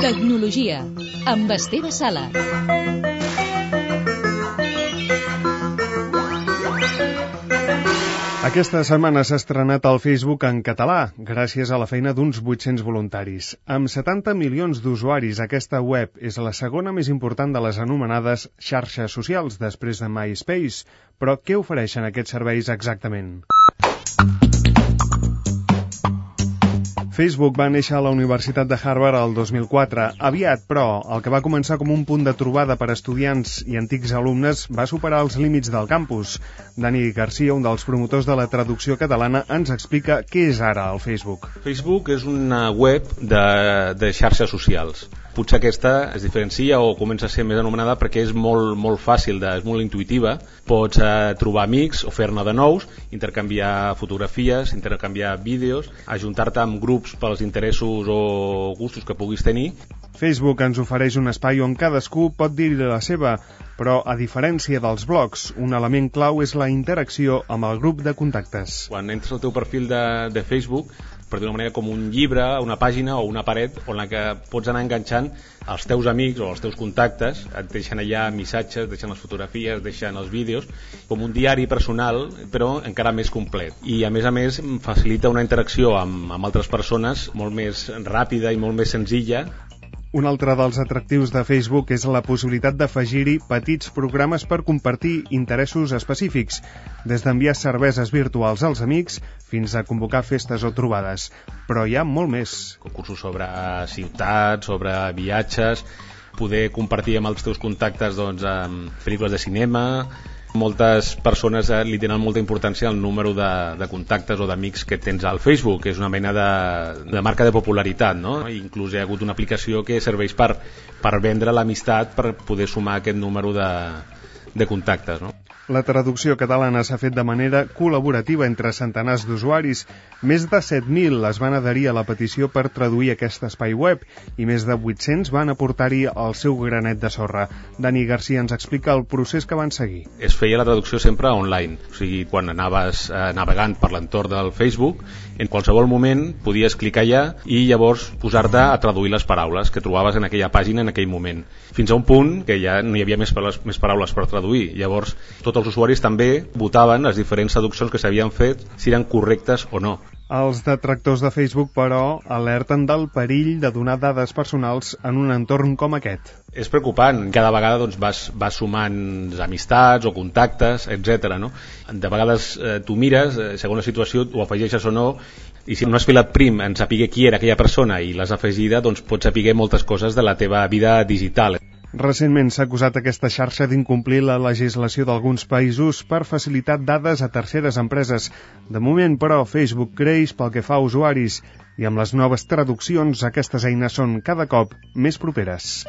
Tecnologia, amb Esteve Sala. Aquesta setmana s'ha estrenat el Facebook en català, gràcies a la feina d'uns 800 voluntaris. Amb 70 milions d'usuaris, aquesta web és la segona més important de les anomenades xarxes socials, després de MySpace. Però què ofereixen aquests serveis exactament? Facebook va néixer a la Universitat de Harvard el 2004. Aviat, però, el que va començar com un punt de trobada per a estudiants i antics alumnes va superar els límits del campus. Dani Garcia, un dels promotors de la traducció catalana, ens explica què és ara el Facebook. Facebook és una web de xarxes socials. Potser aquesta es diferencia o comença a ser més anomenada perquè és molt fàcil, és molt intuïtiva. Pots trobar amics o fer-ne de nous, intercanviar fotografies, intercanviar vídeos, ajuntar-te amb grups pels interessos o gustos que puguis tenir. Facebook ens ofereix un espai on cadascú pot dir-hi la seva, però a diferència dels blogs, un element clau és la interacció amb el grup de contactes. Quan entres al teu perfil de Facebook, per dir-ho d'una manera, com un llibre, una pàgina o una paret on la que pots anar enganxant els teus amics o els teus contactes, et deixen allà missatges, deixen les fotografies, deixen els vídeos, com un diari personal, però encara més complet. I a més facilita una interacció amb altres persones molt més ràpida i molt més senzilla. Un altre dels atractius de Facebook és la possibilitat d'afegir-hi petits programes per compartir interessos específics, des d'enviar cerveses virtuals als amics fins a convocar festes o trobades. Però hi ha molt més. Concursos sobre ciutats, sobre viatges, poder compartir amb els teus contactes pel·lícules de cinema. Moltes persones li tenen molta importància al número de contactes o d'amics que tens al Facebook, que és una mena de marca de popularitat, no? Inclús hi ha hagut una aplicació que serveix per vendre l'amistat, per poder sumar aquest número de contactes, no? La traducció catalana s'ha fet de manera col·laborativa entre centenars d'usuaris. Més de 7.000 es van adherir a la petició per traduir aquest espai web i més de 800 van aportar-hi el seu granet de sorra. Dani Garcia ens explica el procés que van seguir. Es feia la traducció sempre online, o sigui, quan anaves navegant per l'entorn del Facebook, en qualsevol moment podies clicar allà i llavors posar-te a traduir les paraules que trobaves en aquella pàgina en aquell moment, fins a un punt que ja no hi havia més paraules per traduir. Llavors tots els usuaris també votaven les diferents traduccions que s'havien fet, si eren correctes o no. Els detractors de Facebook, però, alerten del perill de donar dades personals en un entorn com aquest. És preocupant. Cada vegada vas sumant amistats o contactes, etc. No? De vegades tu mires, segons la situació, ho afegeixes o no, i si no has filat prim en saber qui era aquella persona i l'has afegida, doncs pots saber moltes coses de la teva vida digital. Recentment s'ha acusat aquesta xarxa d'incomplir la legislació d'alguns països per facilitar dades a terceres empreses. De moment, però, Facebook creix pel que fa a usuaris i amb les noves traduccions aquestes eines són cada cop més properes.